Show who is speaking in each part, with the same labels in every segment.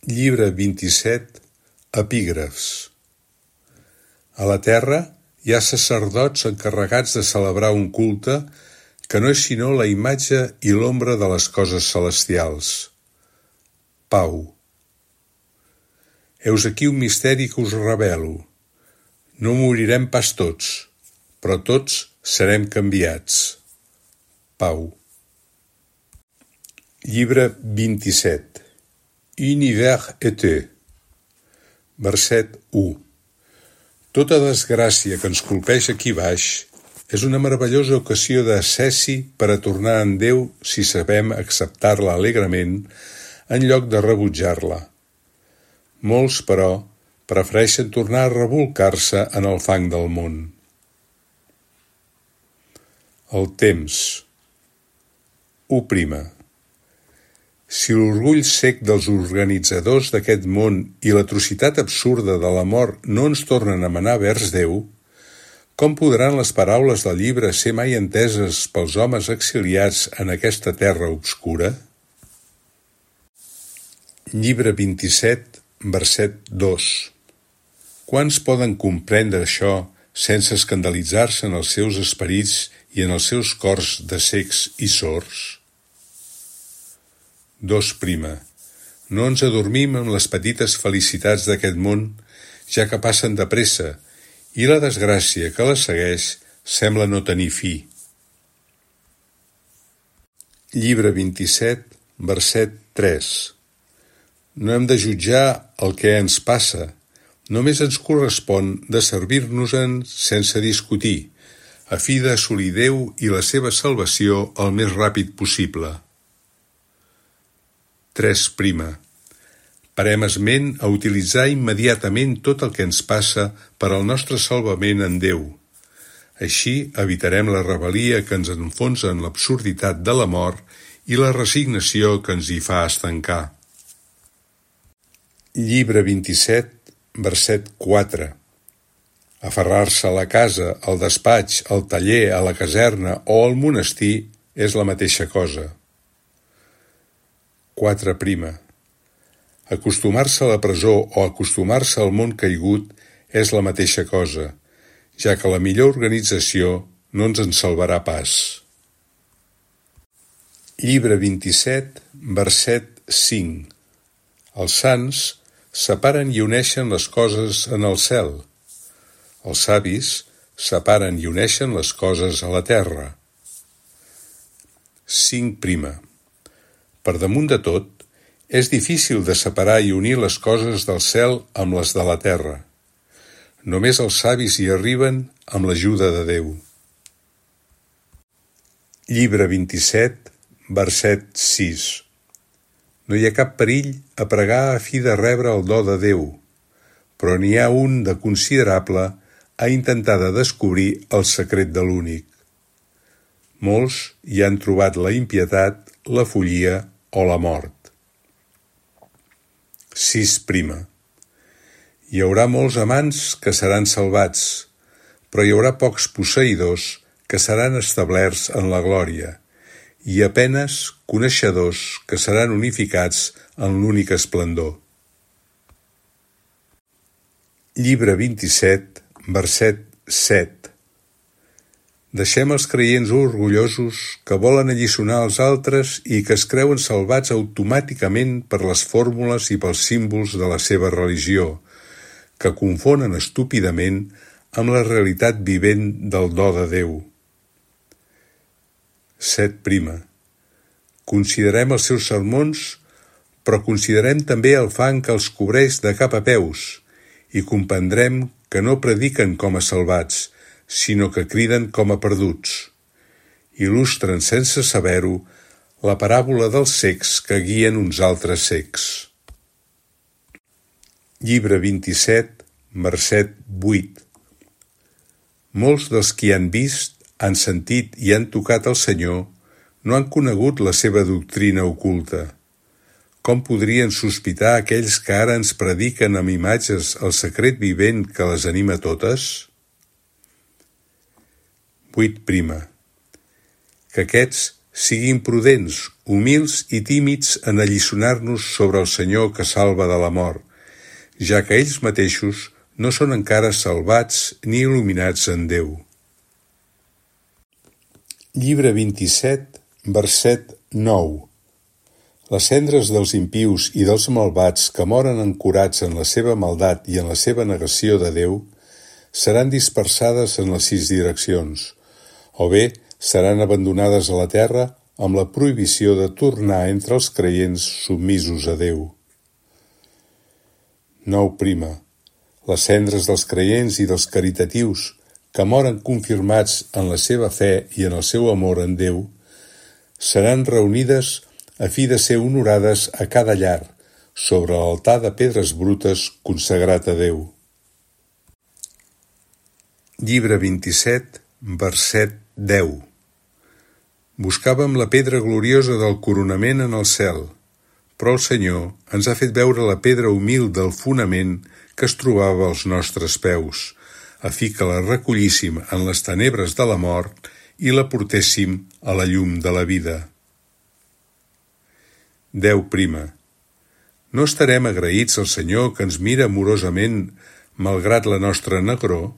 Speaker 1: Llibre 27, Epígrafs. A la terra hi ha sacerdots encarregats de celebrar un culte que no és sinó la imatge i l'ombra de les coses celestials. Pau. Heus aquí un misteri que us revelo. No morirem pas tots, però tots serem canviats. Pau. Llibre 27. Univers été. Verset 1. Tota desgràcia que ens colpeja aquí baix és una meravellosa ocasió de cessi per a tornar en Déu si sabem acceptar-la alegrement en lloc de rebutjar-la. Molts, però, prefereixen tornar a rebolcar-se en el fang del món. El temps. 1. Si l'orgull cec dels organitzadors d'aquest món i l'atrocitat absurda de la mort no ens tornen a manar vers Déu, com podran les paraules del llibre ser mai enteses pels homes exiliats en aquesta terra obscura? Llibre 27, verset 2. Quants poden comprendre això sense escandalitzar-se en els seus esperits i en els seus cors de cecs i sords? 2. No ens adormim amb les petites felicitats d'aquest món, ja que passen de pressa, i la desgràcia que les segueix sembla no tenir fi. Llibre 27, verset 3. No hem de jutjar el que ens passa, només ens correspon de servir-nos-en sense discutir, a fi d'assolir Déu i la seva salvació el més ràpid possible. 3. Parem esment a utilitzar immediatament tot el que ens passa per al nostre salvament en Déu. Així evitarem la rebel·lia que ens enfonsa en l'absurditat de la mort i la resignació que ens hi fa estancar. Llibre 27, verset 4. Aferrar-se a la casa, al despatx, al taller, a la caserna o al monestir és la mateixa cosa. 4. Acostumar-se a la presó o acostumar-se al món caigut és la mateixa cosa, ja que la millor organització no ens en salvarà pas. Llibre 27, verset 5. Els sants separen i uneixen les coses en el cel. Els savis separen i uneixen les coses a la terra. 5. Per damunt de tot, és difícil de separar i unir les coses del cel amb les de la terra. Només els savis hi arriben amb l'ajuda de Déu. Llibre 27, verset 6. No hi ha cap perill a pregar a fi de rebre el do de Déu, però n'hi ha un de considerable a intentar de descobrir el secret de l'únic. Molts hi han trobat la impietat, la follia o la mort. 6. Hi haurà molts amants que seran salvats, però hi haurà pocs posseïdors que seran establerts en la glòria, i a penes coneixedors que seran unificats en l'únic esplendor. Llibre 27, verset 7. Deixem els creients orgullosos que volen alliçonar els altres i que es creuen salvats automàticament per les fórmules i pels símbols de la seva religió, que confonen estúpidament amb la realitat vivent del do de Déu. 7. Considerem els seus sermons, però considerem també el fang que els cobreix de cap a peus i comprendrem que no prediquen com a salvats, sinó que criden com a perduts. Il·lustren sense saber-ho la paràbola dels cecs que guien uns altres cecs. Llibre 27, verset 8. Molts dels qui han vist, han sentit i han tocat el Senyor no han conegut la seva doctrina oculta. Com podrien sospitar aquells que ara ens prediquen amb imatges el secret vivent que les anima totes? 8. Que aquests siguin prudents, humils i tímids en alliçonar-nos sobre el Senyor que salva de la mort, ja que ells mateixos no són encara salvats ni il·luminats en Déu. Llibre 27, verset 9. Les cendres dels impius i dels malvats que moren ancorats en la seva maldat i en la seva negació de Déu seran dispersades en les 6 direccions, o bé seran abandonades a la terra amb la prohibició de tornar entre els creients submisos a Déu. 9. Les cendres dels creients i dels caritatius que moren confirmats en la seva fe i en el seu amor en Déu, seran reunides a fi de ser honorades a cada llar, sobre l'altar de pedres brutes consagrat a Déu. Llibre 27, verset 10. Buscàvem la pedra gloriosa del coronament en el cel, però el Senyor ens ha fet veure la pedra humil del fonament que es trobava als nostres peus, a fi que la recollíssim en les tenebres de la mort i la portéssim a la llum de la vida. 10. No estarem agraïts al Senyor que ens mira amorosament malgrat la nostra negror?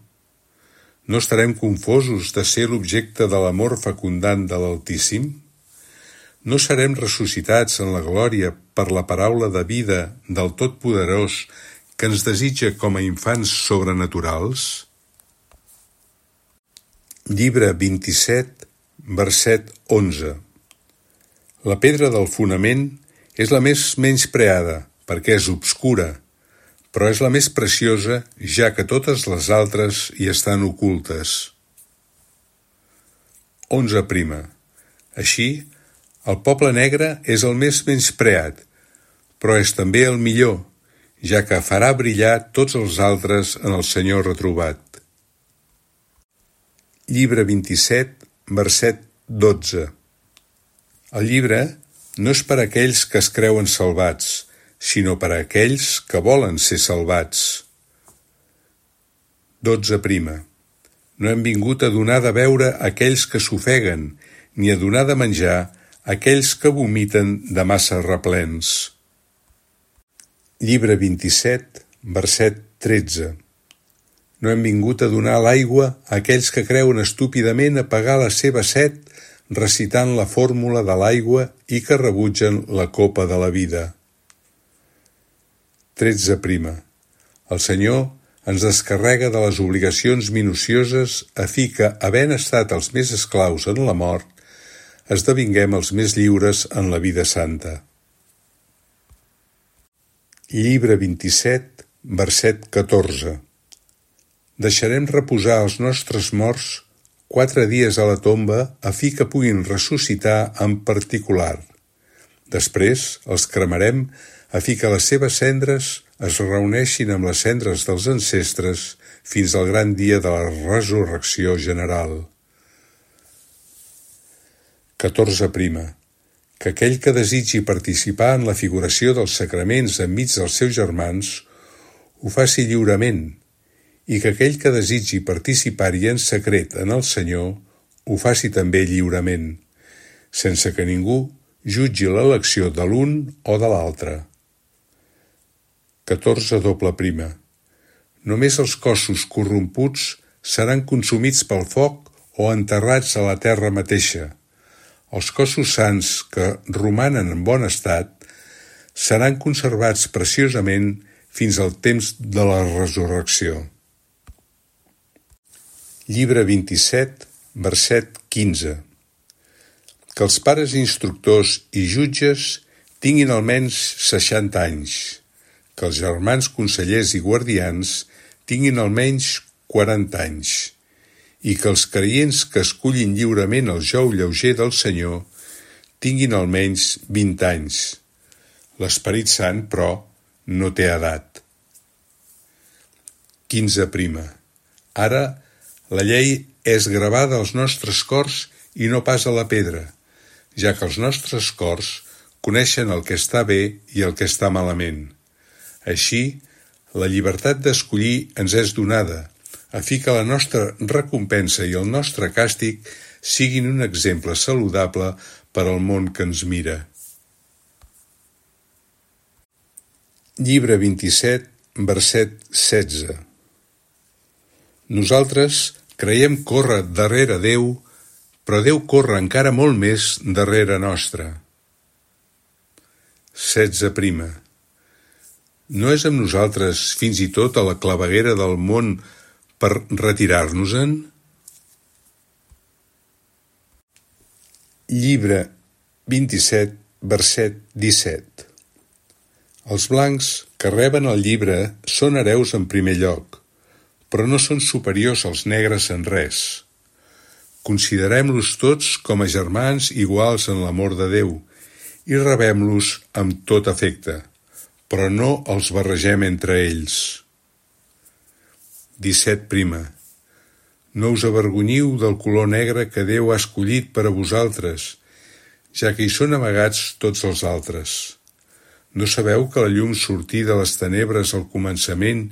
Speaker 1: No estarem confosos de ser l'objecte de l'amor fecundant de l'Altíssim? No serem ressuscitats en la glòria per la paraula de vida del Totpoderós que ens desitja com a infants sobrenaturals? Llibre 27, verset 11. La pedra del fonament és la més menyspreada, perquè és obscura, però és la més preciosa, ja que totes les altres hi estan ocultes. 11. Així, el poble negre és el més menyspreat, però és també el millor, ja que farà brillar tots els altres en el Senyor retrobat. Llibre 27, verset 12. El llibre no és per a aquells que es creuen salvats, sinó per a aquells que volen ser salvats. 12. No hem vingut a donar de beure a aquells que s'ofeguen, ni a donar de menjar a aquells que vomiten de massa replens. Llibre 27, verset 13. No hem vingut a donar l'aigua a aquells que creuen estúpidament apagar la seva set recitant la fórmula de l'aigua i que rebutgen la copa de la vida. 13. El Senyor ens descarrega de les obligacions minucioses a fi que, havent estat els més esclaus en la mort, esdevinguem els més lliures en la vida santa. Llibre 27, verset 14. Deixarem reposar els nostres morts 4 dies a la tomba a fi que puguin ressuscitar en particular. Després els cremarem a fi que les seves cendres es reuneixin amb les cendres dels ancestres fins al gran dia de la resurrecció general. 14. Que aquell que desitgi participar en la figuració dels sacraments enmig dels seus germans ho faci lliurement, i que aquell que desitgi participar-hi en secret en el Senyor ho faci també lliurement, sense que ningú jutgi l'elecció de l'un o de l'altre. 14. Només els cossos corromputs seran consumits pel foc o enterrats a la terra mateixa. Els cossos sants que romanen en bon estat seran conservats preciosament fins al temps de la resurrecció. Llibre 27, verset 15. Que els pares instructors i jutges tinguin almenys 60 anys, que els germans consellers i guardians tinguin almenys 40 anys, i que els creients que escullin lliurement el jou lleuger del Senyor tinguin almenys 20 anys. L'Esperit Sant, però, no té edat. 15. Ara, la llei és gravada als nostres cors i no pas a la pedra, ja que els nostres cors coneixen el que està bé i el que està malament. Així, la llibertat d'escollir ens és donada, a fi que la nostra recompensa i el nostre càstig siguin un exemple saludable per al món que ens mira. Llibre 27, verset 16. Nosaltres creiem córrer darrere Déu, però Déu corre encara molt més darrere nostre. 16. No és amb nosaltres fins i tot a la claveguera del món per retirar-nos-en? Llibre 27, verset 17. Els blancs que reben el llibre són hereus en primer lloc, però no són superiors als negres en res. Considerem-los tots com a germans iguals en l'amor de Déu i rebem-los amb tot afecte, però no els barregem entre ells. 17. No us avergonyiu del color negre que Déu ha escollit per a vosaltres, ja que hi són amagats tots els altres. No sabeu que la llum sortí de les tenebres al començament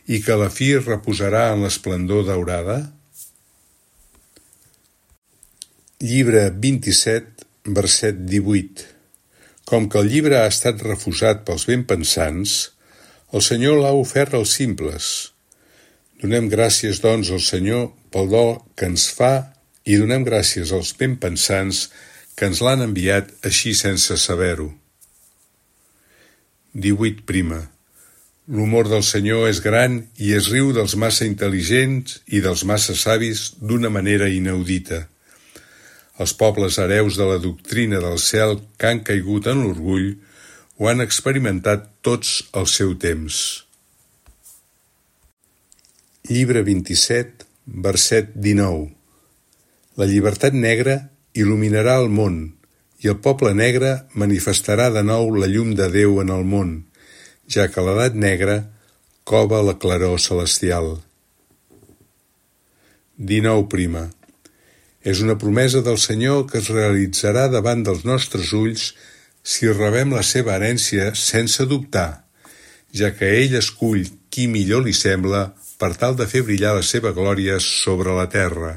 Speaker 1: i que a la fi reposarà en l'esplendor daurada? Llibre 27, verset 18. Com que el llibre ha estat refusat pels benpensants, el Senyor l'ha ofert als simples. Donem gràcies, doncs, al Senyor pel do que ens fa i donem gràcies als benpensants que ens l'han enviat així sense saber-ho. 18. L'humor del Senyor és gran i es riu dels massa intel·ligents i dels massa savis d'una manera inaudita. Els pobles hereus de la doctrina del cel que han caigut en l'orgull ho han experimentat tots al seu temps. Llibre 27, verset 19. La llibertat negra il·luminarà el món i el poble negre manifestarà de nou la llum de Déu en el món, ja que l'edat negra cova la claror celestial. 19. És una promesa del Senyor que es realitzarà davant dels nostres ulls si rebem la seva herència sense dubtar, ja que ell escull qui millor li sembla per tal de fer brillar la seva glòria sobre la terra.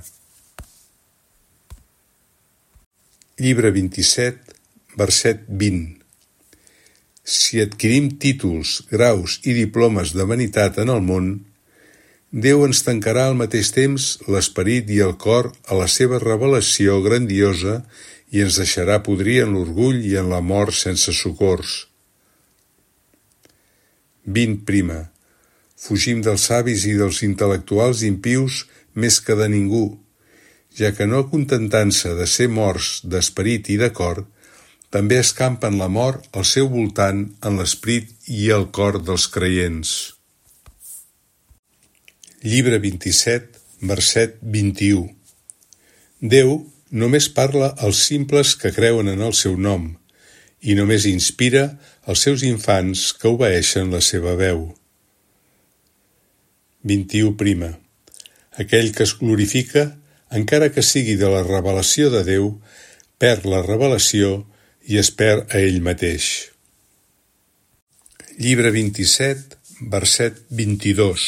Speaker 1: Llibre 27, verset 20. Si adquirim títols, graus i diplomes de vanitat en el món, Déu ens tancarà al mateix temps l'esperit i el cor a la seva revelació grandiosa i ens deixarà podrir en l'orgull i en la mort sense socors. 20. Fugim dels savis i dels intel·lectuals impius més que de ningú, ja que no contentant-se de ser morts d'esperit i de cor, també escampen la mort al seu voltant en l'esperit i el cor dels creients. Llibre 27, verset 21. Déu només parla als simples que creuen en el seu nom i només inspira als seus infants que obeeixen la seva veu. 21. Aquell que es glorifica, encara que sigui de la revelació de Déu, perd la revelació i es perd a ell mateix. Llibre 27, verset 22.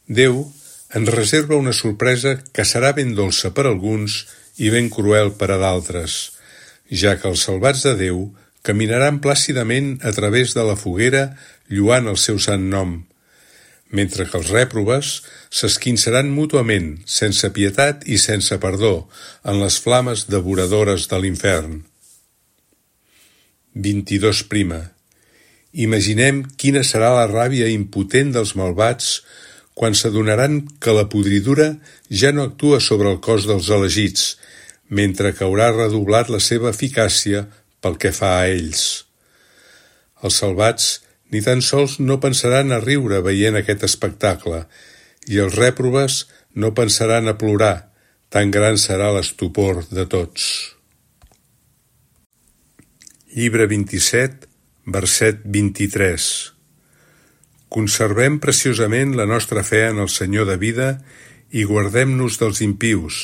Speaker 1: Déu ens reserva una sorpresa que serà ben dolça per alguns i ben cruel per a d'altres, ja que els salvats de Déu caminaran plàcidament a través de la foguera lluant el seu sant nom, mentre que els rèprobes s'esquinçaran mútuament, sense pietat i sense perdó, en les flames devoradores de l'infern. 22. Imaginem quina serà la ràbia impotent dels malvats quan s'adonaran que la podridura ja no actua sobre el cos dels elegits, mentre que haurà redoblat la seva eficàcia pel que fa a ells. Els salvats ni tan sols no pensaran a riure veient aquest espectacle, i els rèprobes no pensaran a plorar, tan gran serà l'estupor de tots. Llibre 27, verset 23. Conservem preciosament la nostra fe en el Senyor de vida i guardem-nos dels impius,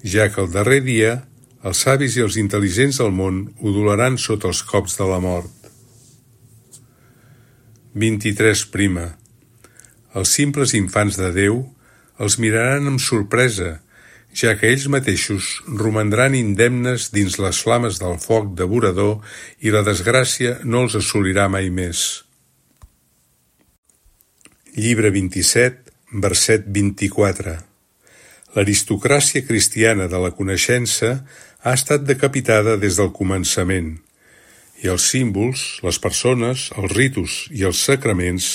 Speaker 1: ja que el darrer dia els savis i els intel·ligents del món udolaran sota els cops de la mort. 23. Els simples infants de Déu els miraran amb sorpresa, ja que ells mateixos romandran indemnes dins les flames del foc devorador i la desgràcia no els assolirà mai més. Llibre 27, verset 24. L'aristocràcia cristiana de la coneixença ha estat decapitada des del començament, i els símbols, les persones, els ritus i els sacraments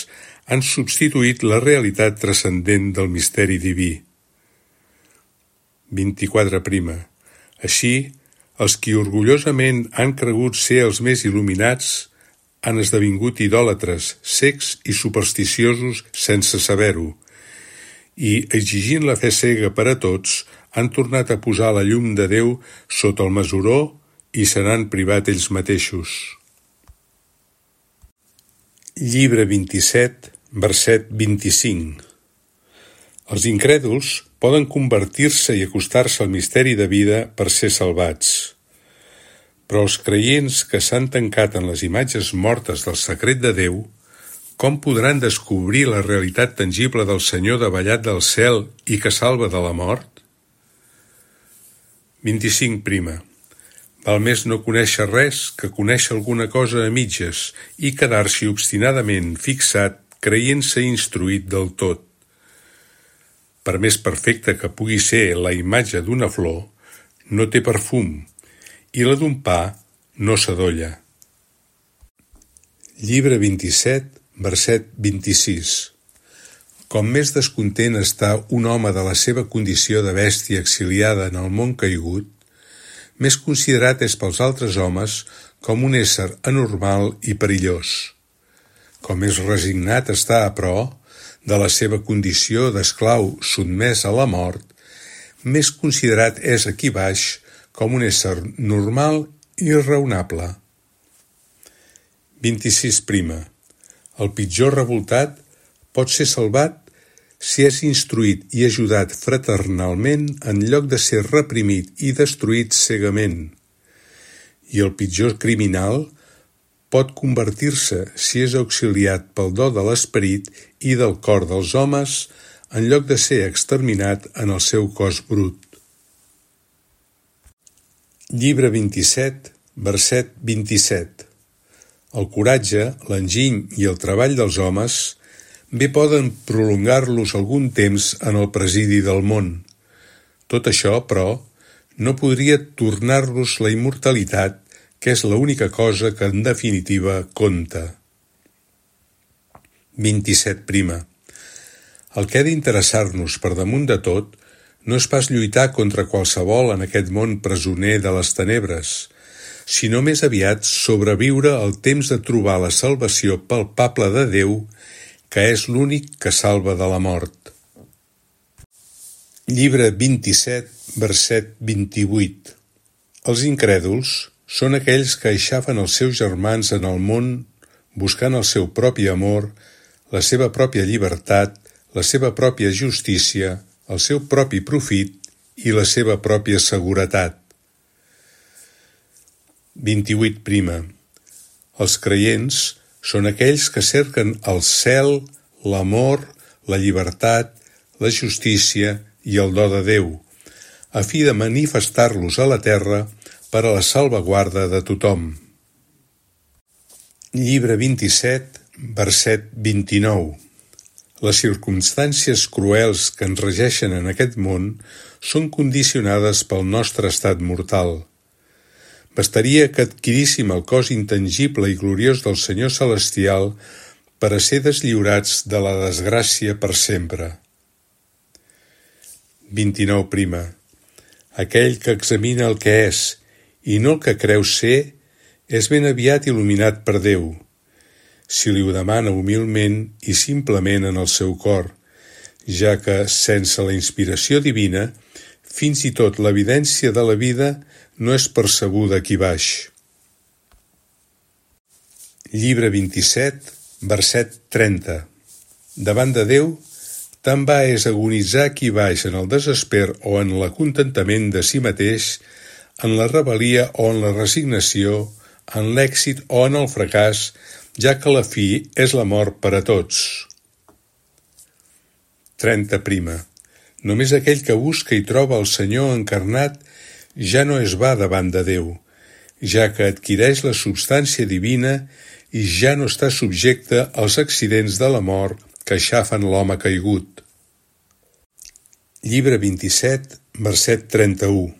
Speaker 1: han substituït la realitat transcendent del misteri diví. 24. Així, els qui orgullosament han cregut ser els més il·luminats han esdevingut idòlatres, cecs i supersticiosos sense saber-ho, i, exigint la fe cega per a tots, han tornat a posar la llum de Déu sota el mesuró i se n'han privat ells mateixos. Llibre 27, verset 25. Els incrèduls poden convertir-se i acostar-se al misteri de vida per ser salvats. Però els creients que s'han tancat en les imatges mortes del secret de Déu, com podran descobrir la realitat tangible del Senyor davallat del cel i que salva de la mort? 25. Val més no conèixer res que conèixer alguna cosa a mitges i quedar-s'hi obstinadament fixat creient-se instruït del tot. Per més perfecta que pugui ser la imatge d'una flor, no té perfum, i la d'un pa no s'adolla. Llibre 27, verset 26. Com més descontent està un home de la seva condició de bèstia exiliada en el món caigut, més considerat és pels altres homes com un ésser anormal i perillós. Com més resignat està a pro de la seva condició d'esclau sotmès a la mort, més considerat és aquí baix com un ésser normal i raonable. 26. El pitjor revoltat pot ser salvat si és instruït i ajudat fraternalment en lloc de ser reprimit i destruït cegament. I el pitjor criminal pot convertir-se si és auxiliat pel do de l'esperit i del cor dels homes en lloc de ser exterminat en el seu cos brut. Llibre 27, verset 27. El coratge, l'enginy i el treball dels homes bé poden prolongar-los algun temps en el presidi del món. Tot això, però, no podria tornar-los la immortalitat, que és l'única cosa que en definitiva compta. 27. El que ha d'interessar-nos per damunt de tot no és pas lluitar contra qualsevol en aquest món presoner de les tenebres, sinó més aviat sobreviure al temps de trobar la salvació palpable de Déu, que és l'únic que salva de la mort. Llibre 27, verset 28. Els incrèduls són aquells que aixafen els seus germans en el món buscant el seu propi amor, la seva pròpia llibertat, la seva pròpia justícia, el seu propi profit i la seva pròpia seguretat. 28. Els creients són aquells que cerquen el cel, l'amor, la llibertat, la justícia i el do de Déu, a fi de manifestar-los a la terra per a la salvaguarda de tothom. Llibre 27, verset 29. Les circumstàncies cruels que ens regeixen en aquest món són condicionades pel nostre estat mortal. Bastaria que adquiríssim el cos intangible i gloriós del Senyor Celestial per a ser deslliurats de la desgràcia per sempre. 29. Aquell que examina el que és i no el que creu ser és ben aviat il·luminat per Déu, si li ho demana humilment i simplement en el seu cor, ja que, sense la inspiració divina, fins i tot l'evidència de la vida no és percebuda aquí baix. Llibre 27, verset 30. Davant de Déu, tan va és agonitzar aquí baix en el desesper o en l'acontentament de si mateix, en la rebel·lia o en la resignació, en l'èxit o en el fracàs, ja que la fi és la mort per a tots. 30. Només aquell que busca i troba el Senyor encarnat ja no es va davant de Déu, ja que adquireix la substància divina i ja no està subjecte als accidents de la mort que aixafen l'home caigut. Llibre 27, verset 31.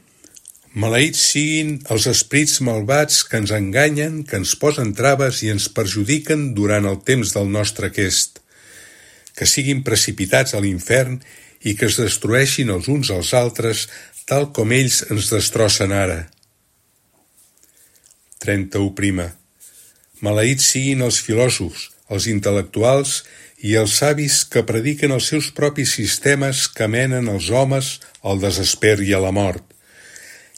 Speaker 1: Maleïts siguin els esperits malvats que ens enganyen, que ens posen traves i ens perjudiquen durant el temps del nostre aquest, que siguin precipitats a l'infern i que es destrueixin els uns als altres, tal com ells ens destrossen ara. 31. Maleïts siguin els filòsofs, els intel·lectuals i els savis que prediquen els seus propis sistemes que menen els homes al desesper i a la mort,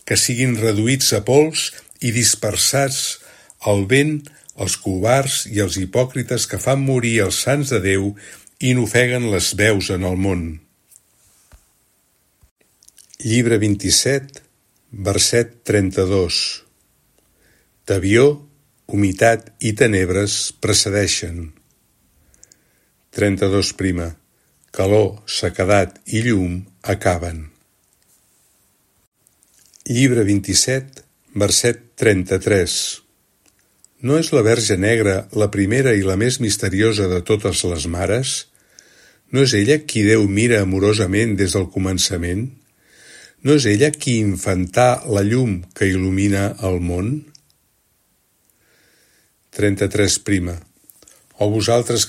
Speaker 1: que siguin reduïts a pols i dispersats al vent els covards i els hipòcrites que fan morir els sants de Déu i n'ofeguen les veus en el món. Llibre 27, verset 32. Tebior, humitat i tenebres precedeixen. 32. Calor, sequedat i llum acaben. Llibre 27, verset 33. No és la Verge Negra la primera i la més misteriosa de totes les mares? No és ella qui Déu mira amorosament des del començament? No és ella qui infantà la llum que il·lumina el món? 33. O vosaltres